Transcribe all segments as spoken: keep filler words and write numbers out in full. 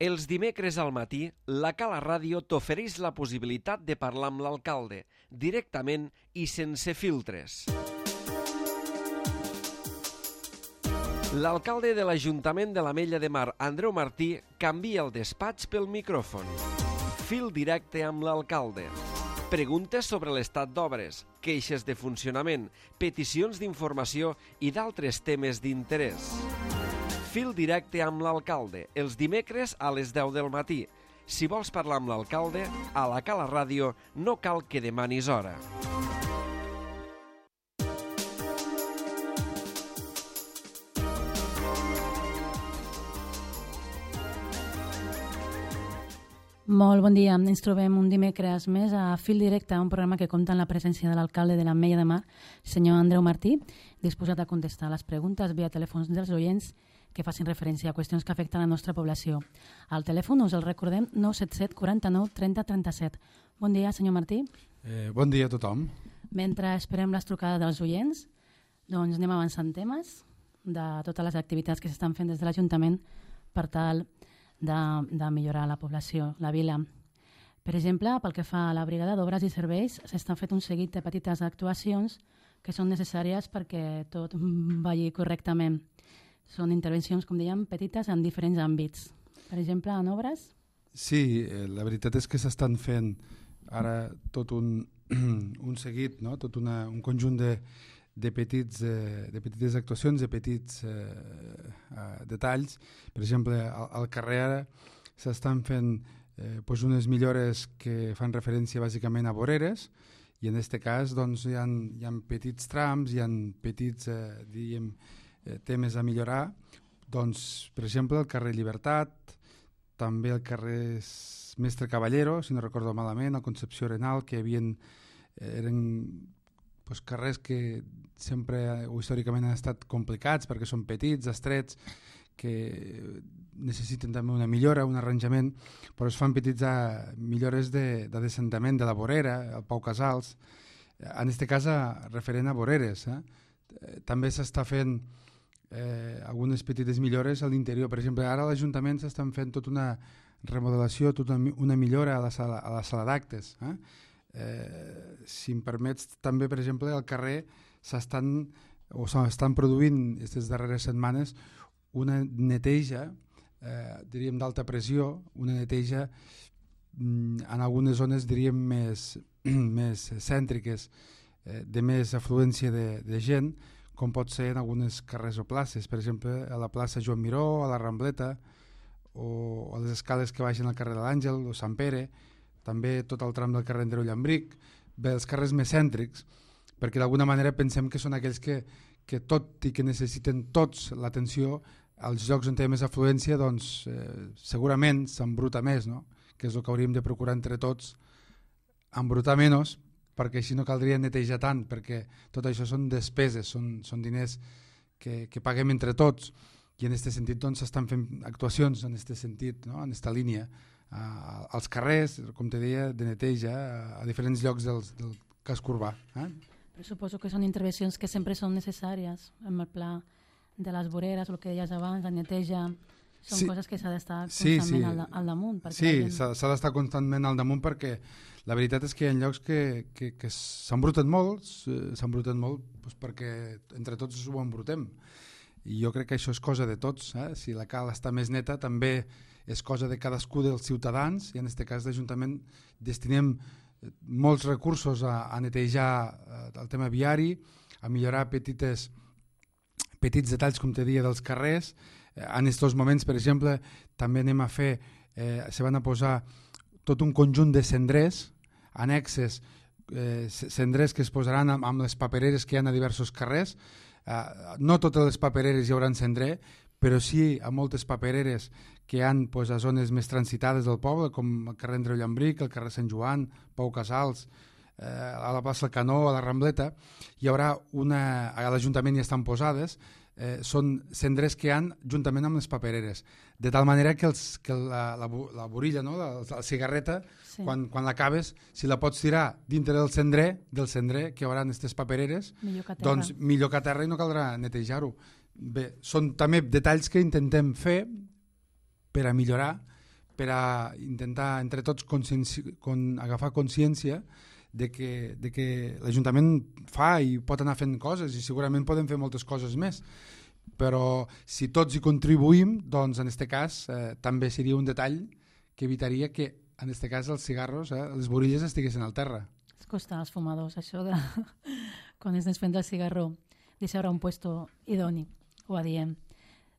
Els dimecres al matí, la Cala Ràdio t'ofereix la possibilitat de parlar amb l'alcalde, directament i sense filtres. L'alcalde de l'Ajuntament de l'Ametlla de Mar, Andreu Martí, canvia el despatx pel micròfon. Fil directe amb l'alcalde. Preguntes sobre l'estat d'obres, queixes de funcionament, peticions d'informació i d'altres temes d'interès. Fil directe amb l'alcalde, els dimecres a les deu del matí. Si vols parlar amb l'alcalde, a la Cala Ràdio no cal que demanis hora. Molt bon dia. Ens trobem un dimecres més a Fil Directe, un programa que compta amb la presència de l'alcalde de l'Ametlla de Mar, senyor Andreu Martí, disposat a contestar les preguntes via telèfons dels oients que facin referència a qüestions que afecten la nostra població. Al telèfon us el recordem nou set set quaranta-nou trenta trenta-set. Bon dia, senyor Martí. Eh, bon dia a tothom. Mentre esperem les trucades dels oients, doncs anem avançant temes de totes les activitats que s'estan fent des de l'Ajuntament per tal de, de millorar la població, la vila. Per exemple, pel que fa a la brigada d'obres i serveis, s'estan fent un seguit de petites actuacions que són necessàries perquè tot vagi correctament. Són intervencions, com dèiem, petites en diferents àmbits. Per exemple, en obres? Sí, eh, la veritat és que s'estan fent ara tot un, un seguit, no? Tot una, un conjunt de, de, petits, eh, de petites actuacions, de petits eh, eh, detalls. Per exemple, al, al carrer ara s'estan fent eh, doncs unes millores que fan referència bàsicament a voreres, i en aquest cas doncs, hi ha, hi ha petits trams, hi ha petits eh, diríem, eh, temes a millorar. Doncs, per exemple, el carrer Llibertat, també el carrer Mestre Caballero, si no recordo malament, el Concepció Arenal, que havien, eren doncs, carrers que sempre o històricament han estat complicats perquè són petits, estrets, que necessiten també una millora, un arranjament, però es fan petits a, millores de, de descendament de la vorera, el Pau Casals, en aquest cas referent a voreres. Eh? També s'està fent eh, algunes petites millores a l'interior. Per exemple, ara a l'Ajuntament s'estan fent tota una remodelació, tota una millora a la sala, a la sala d'actes. Eh? Eh, si em permets, també, per exemple, al carrer s'estan o s'estan produint aquestes darreres setmanes una neteja, eh, diríem, d'alta pressió, una neteja mm, en algunes zones, diríem, més, més cèntriques, eh, de més afluència de, de gent, com pot ser en algunes carrers o places, per exemple, a la plaça Joan Miró, a la Rambleta, o a les escales que baixen al carrer de l'Àngel o Sant Pere, també tot el tram del carrer Andreu Llambric, bé, els carrers més cèntrics, perquè d'alguna manera pensem que són aquells que, que tot i que necessiten tots l'atenció, als llocs on té més afluència, doncs eh, segurament s'embruta més, no? Que és el que hauríem de procurar entre tots, embrutar menys, perquè així no caldria netejar tant, perquè tot això són despeses, són, són diners que, que paguem entre tots, i en aquest sentit doncs s'estan fent actuacions en aquest sentit, no? En aquesta línia, a, als carrers, com te deia, de neteja a, a diferents llocs del, del casc urbà. Eh? Suposo que són intervencions que sempre són necessàries, en el pla de les voreres, el que deies abans, la neteja, són sí, coses que s'ha d'estar constantment sí, sí. Al, al damunt. Sí, gent... s'ha d'estar constantment al damunt perquè la veritat és que hi ha llocs que, que, que s'embruten molt, s'embruten molt doncs perquè entre tots ho embrutem. I jo crec que això és cosa de tots. Eh? Si la cal està més neta, també és cosa de cadascú dels ciutadans, i en aquest cas l'Ajuntament destinem molts recursos a, a netejar el tema viari, a millorar petites petits detalls, com te deia, dels carrers. En aquests moments, per exemple, també anem a fer, eh, se van a posar tot un conjunt de cendrers, annexes, eh, cendrers que es posaran amb, amb les papereres que hi ha a diversos carrers. Eh, no totes les papereres hi haurà cendrer, però sí a moltes papereres que hi ha pues, a zones més transitades del poble, com el carrer Andreu Llambric, el carrer Sant Joan, Pau Casals, eh, a la plaça Canó, a la Rambleta, hi haurà una, a l'Ajuntament hi estan posades, eh, són cendrers que hi ha juntament amb les papereres, de tal manera que, els, que la, la, la borilla, no? la, la cigarreta, sí. quan, quan l'acabes, si la pots tirar dintre del cendrer, del cendrer que hi haurà aquestes papereres, millor doncs millor que a terra i no caldrà netejar-ho. Bé, són també detalls que intentem fer per a millorar per a intentar entre tots conscienci... con... agafar consciència de que, de que l'Ajuntament fa i pot anar fent coses i segurament podem fer moltes coses més, però si tots hi contribuïm, doncs en aquest cas eh, també seria un detall que evitaria que en aquest cas els cigarros, eh, les borilles estiguessin al terra. Es costa als fumadors això de quan es desprèn del cigarro deixar un puesto idoni, ho adiem.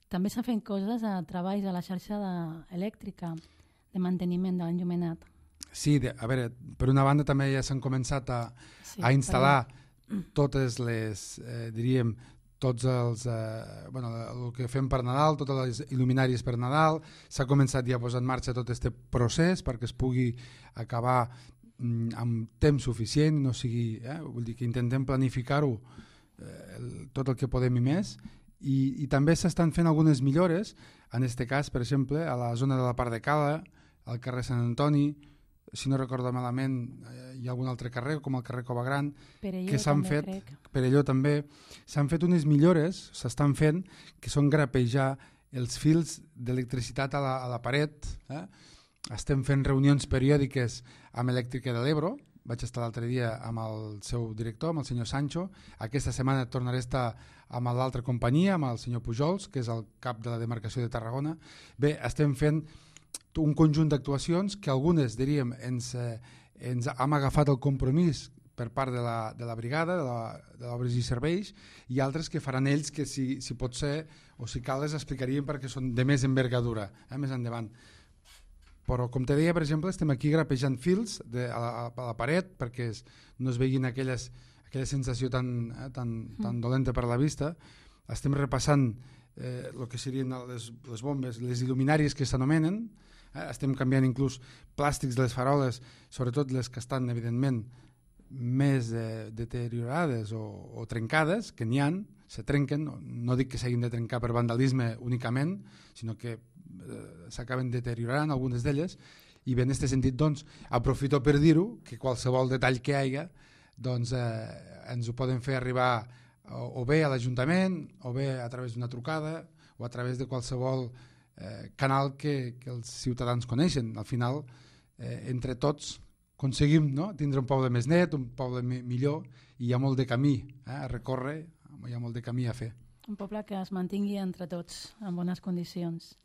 També s'han fet coses a treballs a la xarxa de, elèctrica de manteniment de l'enllumenat. Sí, de, a veure, per una banda també ja s'han començat a, sí, a instal·lar però... totes les, eh, diríem, tots els, eh, bueno, el que fem per Nadal, totes les il·luminàries per Nadal, s'ha començat ja a posar en marxa tot aquest procés perquè es pugui acabar mm, amb temps suficient, no sigui, eh, vull dir que intentem planificar-ho eh, el, tot el que podem i més, i, i també s'estan fent algunes millores, en aquest cas, per exemple, a la zona de la Part de Cala, al carrer Sant Antoni, si no recordo malament, eh, hi ha algun altre carrer, com el carrer Cova Gran, que s'han fet, per allò també, s'han fet unes millores, s'estan fent, que són grapejar els fils d'electricitat a, la, a la paret. Eh? Estem fent reunions periòdiques amb Elèctrica de l'Ebro, vaig estar l'altre dia amb el seu director, amb el senyor Sancho, aquesta setmana tornaré a estar amb l'altra companyia, amb el senyor Pujols, que és el cap de la demarcació de Tarragona. Bé, estem fent un conjunt d'actuacions que algunes, diríem, ens, eh, ens hem agafat el compromís per part de la, de la brigada, de l'Obres i Serveis, i altres que faran ells que si, si pot ser o si cal les explicaríem perquè són de més envergadura, eh, més endavant. Però com te deia, per exemple, estem aquí grapejant fils de, a, la, a la paret perquè es, no es veguin aquelles, aquella sensació tan, eh, tan, tan dolenta per la vista. Estem repassant eh, el que serien les, les bombes, les il·luminàries que s'anomenen. Eh, estem canviant inclús plàstics de les faroles, sobretot les que estan, evidentment, més eh, deteriorades o, o trencades, que n'hi ha, se trenquen, no, no dic que s'hagin de trencar per vandalisme únicament, sinó que eh, s'acaben deteriorant algunes d'elles, i bé, en aquest sentit, doncs, aprofito per dir-ho, que qualsevol detall que hi hagi, doncs, eh, ens ho poden fer arribar o, o bé a l'Ajuntament, o bé a través d'una trucada, o a través de qualsevol eh, canal que, que els ciutadans coneixen. Al final, eh, entre tots, aconseguim, no?, tindre un poble més net, un poble mi millor, i hi ha molt de camí eh, a recórrer, hi ha molt de camí a fer. Un poble que es mantingui entre tots en bones condicions.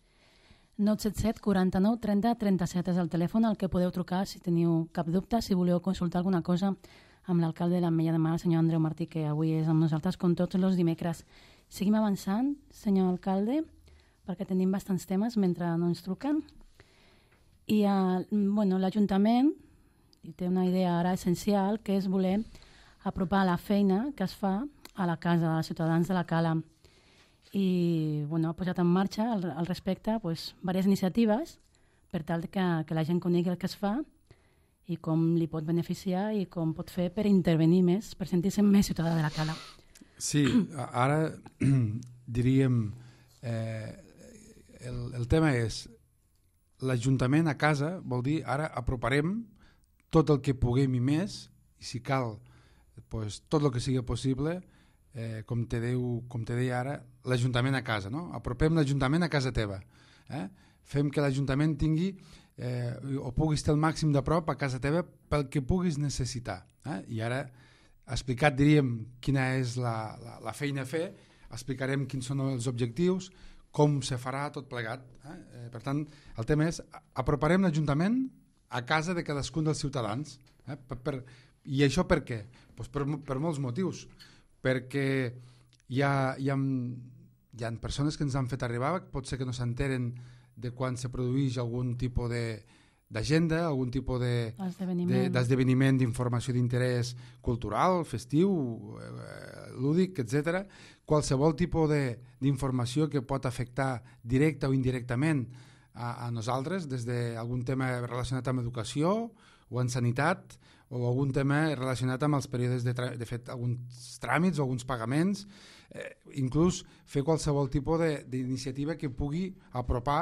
nou set set quaranta-nou trenta trenta-set és el telèfon al que podeu trucar si teniu cap dubte, si voleu consultar alguna cosa amb l'alcalde de l'Ametlla de Mar, el senyor Andreu Martí, que avui és amb nosaltres com tots els dimecres. Seguim avançant, senyor alcalde, perquè tenim bastants temes mentre no ens truquen. I eh, bueno, l'Ajuntament té una idea ara essencial, que és voler apropar la feina que es fa a la casa dels ciutadans de la Cala. I bueno, ha posat en marxa al, al respecte pues, diverses iniciatives per tal que, que la gent conegui el que es fa i com li pot beneficiar i com pot fer per intervenir més, per sentir-se més ciutadà de la Cala. Sí, ara diríem, eh, el, el tema és l'Ajuntament a casa, vol dir ara aproparem tot el que puguem i més, i si cal, pues, tot el que sigui possible, eh, com, te deu, com te deia ara, l'Ajuntament a casa, no? Apropem l'Ajuntament a casa teva. Eh? Fem que l'Ajuntament tingui eh, o pugui estar el màxim de prop a casa teva pel que puguis necessitar. Eh? I ara, explicat, diríem, quina és la, la, la feina a fer, explicarem quins són els objectius, com se farà tot plegat. Eh? Eh, per tant, el tema és, aproparem l'Ajuntament a casa de cadascun dels ciutadans. Eh? Per, per, I això per què? Pues per, per molts motius. Perquè hi ha, hi, ha, hi ha persones que ens han fet arribar, pot ser que no s'enteren de quan se produeix algun tipus d'agenda, algun tipus d'esdeveniment, d'informació d'interès cultural, festiu, eh, lúdic, etcètera. Qualsevol tipus d'informació que pot afectar directa o indirectament a, a nosaltres, des d'algun tema relacionat amb educació o en sanitat, o algun tema relacionat amb els períodes de, de fet alguns tràmits o alguns pagaments, eh, inclús fer qualsevol tipus d'iniciativa que pugui apropar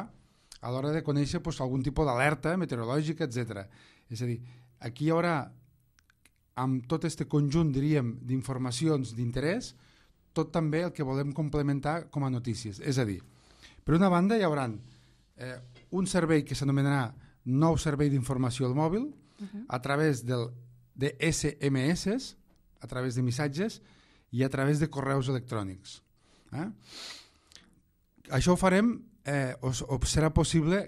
a l'hora de conèixer pues, algun tipus d'alerta meteorològica, etcètera. És a dir, aquí hi haurà, amb tot aquest conjunt, diríem, d'informacions d'interès, tot també el que volem complementar com a notícies. És a dir, per una banda hi haurà eh, un servei que s'anomenarà nou servei d'informació al mòbil uh-huh. a través del, de esse eme esse, a través de missatges i a través de correus electrònics. Eh? Això ho farem, eh, o, o serà possible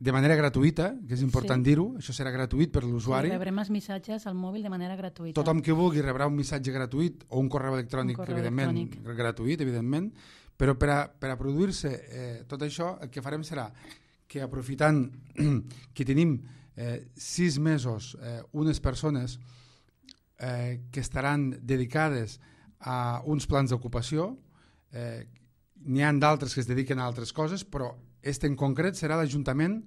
de manera gratuïta, que és important sí. dir-ho, això serà gratuït per l'usuari. Sí, rebrem els missatges al mòbil de manera gratuïta. Tothom que vulgui rebrà un missatge gratuït o un correu electrònic, un correu evidentment, electrònic. gratuït, evidentment, però per a, per a produir-se eh, tot això, el que farem serà que aprofitant que tenim eh, sis mesos eh, unes persones eh, que estaran dedicades a uns plans d'ocupació, eh, n'hi ha d'altres que es dediquen a altres coses, però este en concret serà l'Ajuntament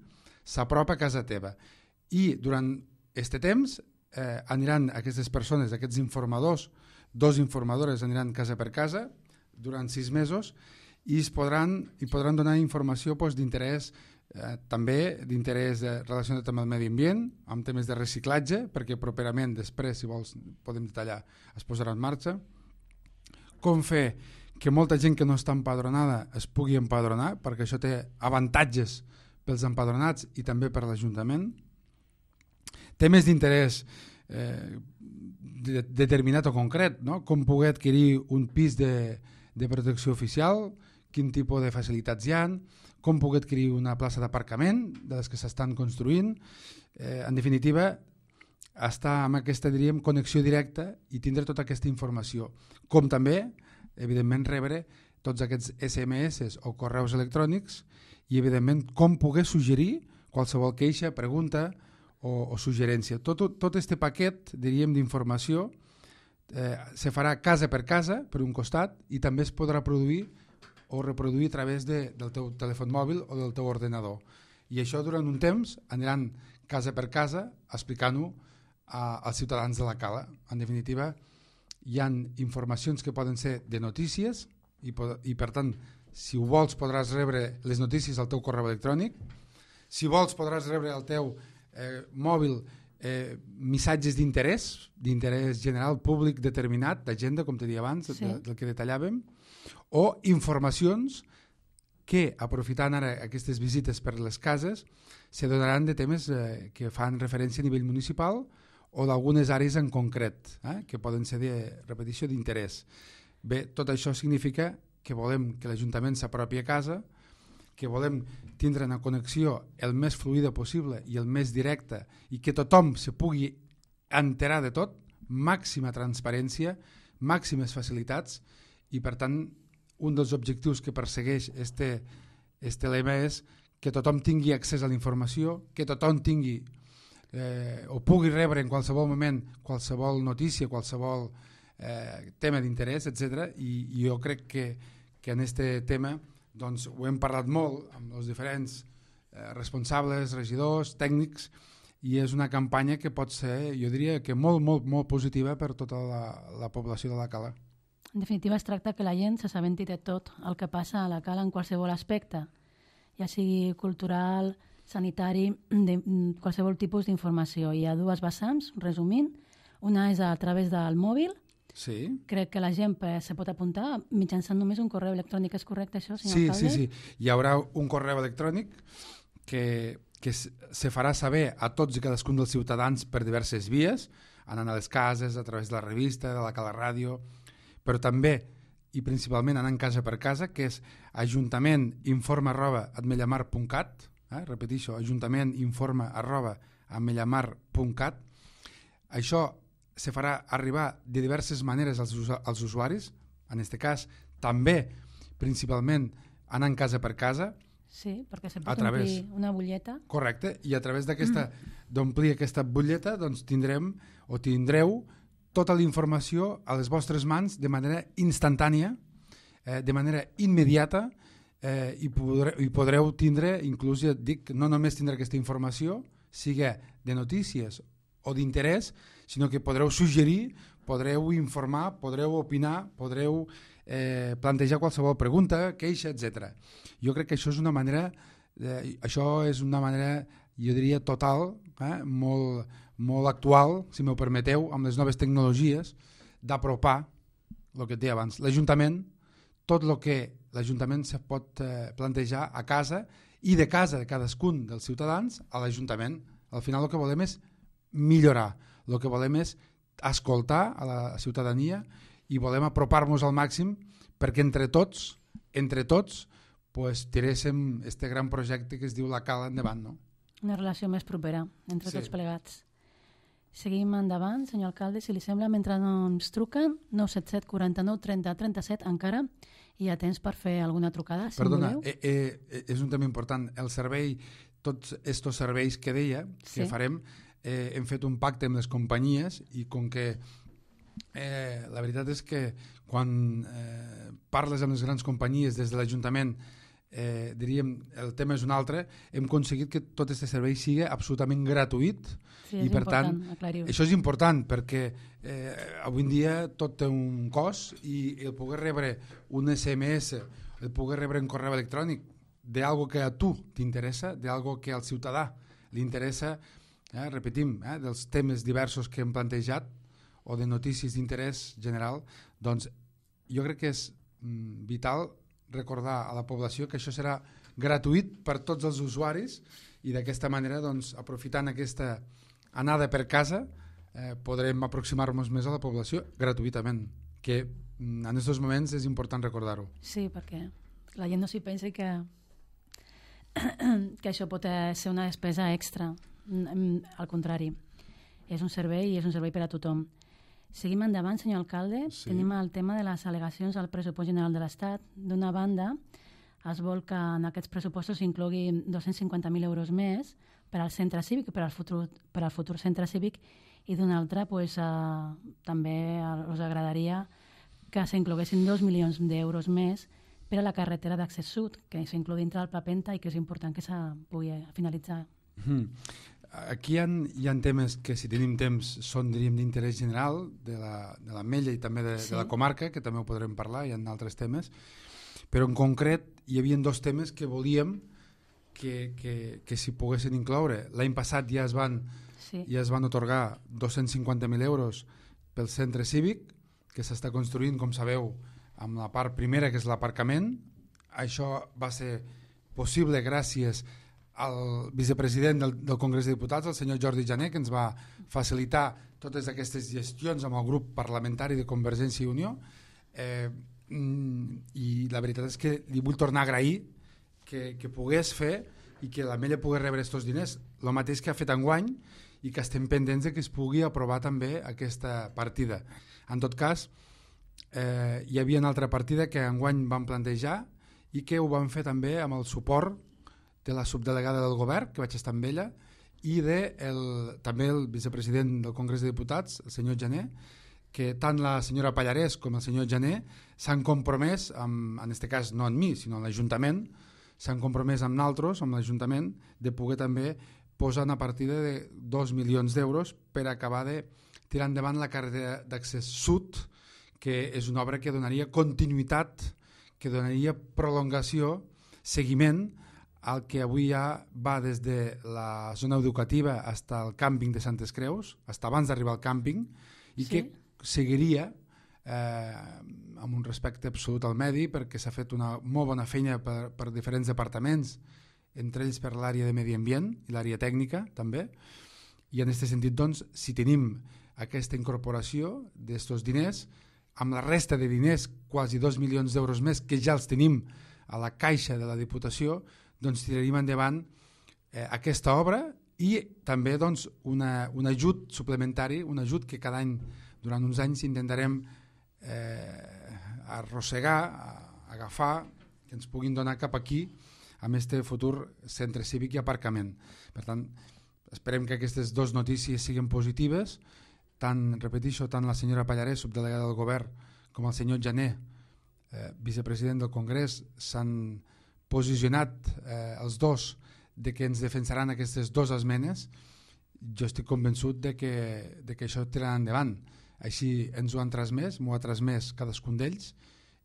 s'apropa a casa teva. I durant este temps eh, aniran aquestes persones, aquests informadors, dos informadores aniran casa per casa durant sis mesos i es podran, i podran donar informació pues, d'interès, eh, també d'interès eh, relacionat amb el medi ambient, amb temes de reciclatge, perquè properament, després, si vols, podem detallar, es posarà en marxa. Com fer que molta gent que no està empadronada es pugui empadronar, perquè això té avantatges pels empadronats i també per l'Ajuntament. Temes d'interès eh, de, determinat o concret, no? Com poder adquirir un pis de, de protecció oficial, quin tipus de facilitats hi ha, com poder adquirir una plaça d'aparcament de les que s'estan construint. Eh, en definitiva, estar amb aquesta, diríem, connexió directa i tindre tota aquesta informació. Com també evidentment rebre tots aquests esse eme esse o correus electrònics i evidentment com poder suggerir qualsevol queixa, pregunta o, o suggerència. Tot, tot este paquet, diríem, d'informació eh, se farà casa per casa, per un costat, i també es podrà produir o reproduir a través de, del teu telèfon mòbil o del teu ordenador. I això durant un temps aniran casa per casa explicant-ho als ciutadans de la Cala. En definitiva, hi ha informacions que poden ser de notícies i, i per tant, si ho vols podràs rebre les notícies al teu correu electrònic. Si vols podràs rebre al teu eh, mòbil eh, missatges d'interès, d'interès general públic determinat, d'agenda, com te deia abans, sí. de, del que detallàvem, o informacions que, aprofitant ara aquestes visites per les cases, se donaran de temes eh, que fan referència a nivell municipal o d'algunes àrees en concret, eh, que poden ser de repetició d'interès. Bé, tot això significa que volem que l'Ajuntament s'apropi a casa, que volem tindre una connexió el més fluida possible i el més directa i que tothom se pugui enterar de tot, màxima transparència, màximes facilitats i, per tant, un dels objectius que persegueix este, este lema és que tothom tingui accés a la informació, que tothom tingui Eh, o pugui rebre en qualsevol moment qualsevol notícia, qualsevol eh, tema d'interès, etcètera. I, I jo crec que, que en aquest tema doncs, ho hem parlat molt amb els diferents eh, responsables, regidors, tècnics, i és una campanya que pot ser, jo diria, que molt, molt, molt positiva per tota la, la població de la Cala. En definitiva, es tracta que la gent s'assabenti de tot el que passa a la Cala en qualsevol aspecte, ja sigui cultural, sanitari, de qualsevol tipus d'informació. Hi ha dues vessants, resumint. Una és a través del mòbil. Sí. Crec que la gent se pot apuntar mitjançant només un correu electrònic. És correcte això, senyor sí, alcalde? Sí, sí. Hi haurà un correu electrònic que, que se farà saber a tots i cadascun dels ciutadans per diverses vies, anant a les cases, a través de la revista, de la Cala Ràdio, però també i principalment anant casa per casa, que és ajuntament informa arroba ametlllamar punt cat. Eh, repeteixo, ajuntament informa arroba ametlllamar punt cat. Això se farà arribar de diverses maneres als, als usuaris, en aquest cas també principalment anant casa per casa. Sí, perquè se pot través, omplir una butlleta. Correcte, i a través d'aquesta mm. d'omplir aquesta butlleta doncs tindrem o tindreu tota la informació a les vostres mans de manera instantània, eh, de manera immediata, Eh, i, podreu, i podreu tindre, inclús ja et dic, no només tindre aquesta informació, sigui de notícies o d'interès, sinó que podreu suggerir, podreu informar, podreu opinar, podreu eh, plantejar qualsevol pregunta, queixa, etcètera. Jo crec que això és una manera, eh, això és una manera, jo diria, total, eh, molt, molt actual, si m'ho permeteu, amb les noves tecnologies, d'apropar, el que et deia abans, l'Ajuntament, tot el que l'Ajuntament se pot eh, plantejar a casa i de casa de cadascun dels ciutadans a l'Ajuntament. Al final el que volem és millorar, el que volem és escoltar a la ciutadania i volem apropar-nos al màxim perquè entre tots, entre tots, pues, tiréssim este gran projecte que es diu la Cala endavant, no? Una relació més propera entre Sí. tots plegats. Seguim endavant, senyor alcalde, si li sembla, mentre no ens truquen, nou set set quaranta-nou trenta trenta-set, encara hi ha temps per fer alguna trucada, si Perdona, voleu. eh, eh, és un tema important. El servei, tots estos serveis que deia, que Sí. farem, eh, hem fet un pacte amb les companyies i com que eh, la veritat és que quan eh, parles amb les grans companyies des de l'Ajuntament, eh, diríem, el tema és un altre, hem aconseguit que tot aquest servei sigui absolutament gratuït. Sí, I és per tant, important aclarir-ho. això és important perquè eh, avui en dia tot té un cost i el poder rebre un S M S, el poder rebre un correu electrònic d'algo que a tu t'interessa, d'algo que al ciutadà li interessa, eh, repetim, eh, dels temes diversos que hem plantejat o de notícies d'interès general, doncs jo crec que és mm, vital recordar a la població que això serà gratuït per tots els usuaris i d'aquesta manera, doncs, aprofitant aquesta anada per casa, eh, podrem aproximar-nos més a la població gratuïtament, que mm, en aquests moments és important recordar-ho. Sí, perquè la gent no s'hi pensa que que això pot eh, ser una despesa extra. Mm, Al contrari, és un servei i és un servei per a tothom. Seguim endavant, senyor alcalde. Sí. Tenim el tema de les al·legacions al pressupost general de l'Estat. D'una banda, es vol que en aquests pressupostos s'inclogui dos-cents cinquanta mil euros més per al centre cívic, per al futur, per al futur centre cívic, i d'una altra, pues, eh, també us agradaria que s'incloguessin dos milions d'euros més per a la carretera d'accés sud, que s'inclou dintre del Pla Penta i que és important que se pugui finalitzar. Mm. Aquí hi ha, hi ha temes que, si tenim temps, són, diríem, d'interès general de la, de la Mella i també de, Sí. de la comarca, que també ho podrem parlar, hi ha altres temes, però en concret hi havia dos temes que volíem que, que, que s'hi poguessin incloure. L'any passat ja es van, Sí. ja es van otorgar dos-cents cinquanta mil euros pel centre cívic, que s'està construint, com sabeu, amb la part primera, que és l'aparcament. Això va ser possible gràcies al vicepresident del, del Congrés de Diputats, el senyor Jordi Jané, que ens va facilitar totes aquestes gestions amb el grup parlamentari de Convergència i Unió, eh, i la veritat és que li vull tornar a agrair que, que pogués fer i que la Mella pugui rebre aquests diners, el mateix que ha fet enguany, i que estem pendents de que es pugui aprovar també aquesta partida. En tot cas, eh, hi havia una altra partida que enguany vam plantejar i que ho vam fer també amb el suport de la subdelegada del govern, que vaig estar amb ella, i de el, també el vicepresident del Congrés de Diputats, el senyor Jané, que tant la senyora Pallarès com el senyor Jané s'han compromès, amb, en aquest cas no amb mi, sinó amb l'Ajuntament, s'han compromès amb nosaltres, amb l'Ajuntament, de poder també posar una partida de dos milions d'euros per acabar de tirar endavant la carretera d'accés sud, que és una obra que donaria continuïtat, que donaria prolongació, seguiment, el que avui ja va des de la zona educativa fins al càmping de Santes Creus, fins abans d'arribar al càmping, i Sí. que seguiria eh, amb un respecte absolut al medi, perquè s'ha fet una molt bona feina per, per diferents departaments, entre ells per l'àrea de medi ambient i l'àrea tècnica també, i en aquest sentit, doncs, si tenim aquesta incorporació d'aquests diners, amb la resta de diners, quasi dos milions d'euros més, que ja els tenim a la caixa de la Diputació, doncs tiraríem endavant eh, aquesta obra i també, doncs, una, un ajut suplementari, un ajut que cada any, durant uns anys, intentarem eh, arrossegar, a, agafar, que ens puguin donar cap aquí amb este futur centre cívic i aparcament. Per tant, esperem que aquestes dues notícies siguin positives, tant, repeteixo, tant la senyora Pallarès, subdelegada del govern, com el senyor Jané, eh, vicepresident del Congrés, s'han posicionat eh, els dos de que ens defensaran aquestes dues esmenes. Jo estic convençut de que, de que això tirarà endavant. Així ens ho han transmès, m'ho ha transmès cadascun d'ells,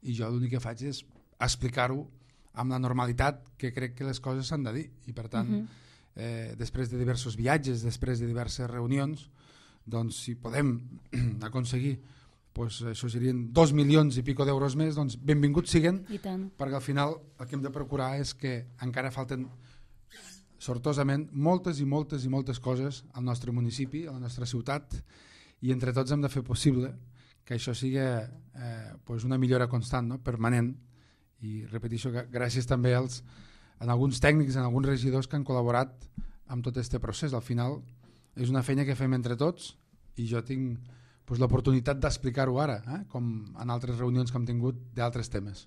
i jo l'únic que faig és explicar-ho amb la normalitat que crec que les coses s'han de dir. I per tant, uh-huh. eh, després de diversos viatges, després de diverses reunions, doncs si podem aconseguir doncs això serien dos milions i pico d'euros més, doncs benvinguts siguen, I tant. perquè al final el que hem de procurar és que encara falten sortosament moltes i moltes i moltes coses al nostre municipi, a la nostra ciutat, i entre tots hem de fer possible que això sigui eh, doncs una millora constant, no? Permanent, i repeteixo que gràcies també als, a alguns tècnics, a alguns regidors que han col·laborat amb tot aquest procés. Al final és una feina que fem entre tots i jo tinc doncs, l'oportunitat d'explicar-ho ara, eh? com en altres reunions que hem tingut d'altres temes.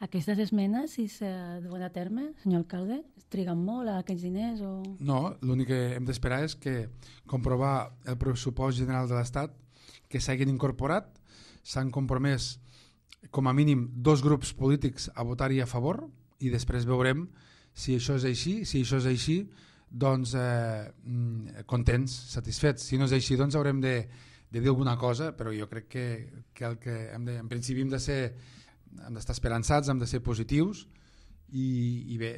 Aquestes esmenes, si se duen a terme, senyor alcalde, triguen molt a aquests diners? O... No, l'únic que hem d'esperar és que comprovar el pressupost general de l'Estat, que s'hagin incorporat, s'han compromès com a mínim dos grups polítics a votar-hi a favor i després veurem si això és així, si això és així, doncs eh, contents, satisfets. Si no és així, doncs haurem de, de dir alguna cosa, però jo crec que, que, el que hem de, en principi hem de ser hem d'estar esperançats, hem de ser positius i, i bé,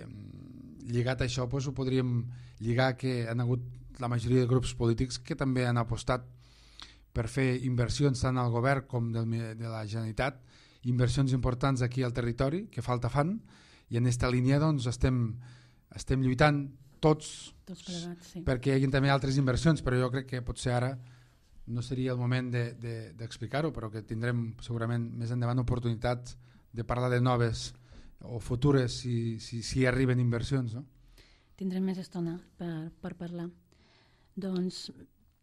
lligat a això doncs, ho podríem lligar que han hagut la majoria de grups polítics que també han apostat per fer inversions tant al govern com del, de la Generalitat, inversions importants aquí al territori que falta fan, i en aquesta línia doncs, estem, estem lluitant tots, tots plegats, sí. perquè hi hagi també altres inversions, però jo crec que potser ara no seria el moment d'explicar-ho, de, de, però que tindrem segurament més endavant oportunitats de parlar de noves o futures si, si, si arriben inversions. No? Tindrem més estona per, per parlar. Doncs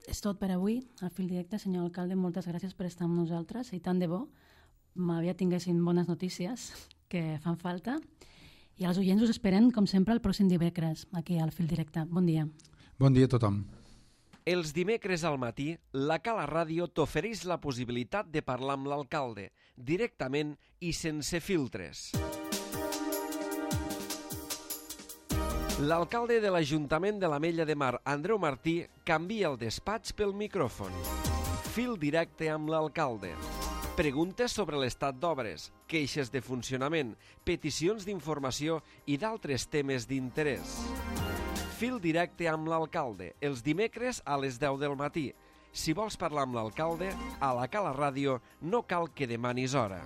és tot per avui, al Fil Directe. Senyor alcalde, moltes gràcies per estar amb nosaltres i tant de bo m'havia tinguessin bones notícies que fan falta. I els oients us esperen, com sempre, el pròxim dimecres aquí al Fil Directe. Bon dia. Bon dia a tothom. Els dimecres al matí, la Cala Ràdio t'ofereix la possibilitat de parlar amb l'alcalde, directament i sense filtres. L'alcalde de l'Ajuntament de l'Ametlla de Mar, Andreu Martí, canvia el despatx pel micròfon. Fil directe amb l'alcalde. Preguntes sobre l'estat d'obres, queixes de funcionament, peticions d'informació i d'altres temes d'interès. Fil directe amb l'alcalde, els dimecres a les deu del matí. Si vols parlar amb l'alcalde, a la Cala Ràdio no cal que demanis hora.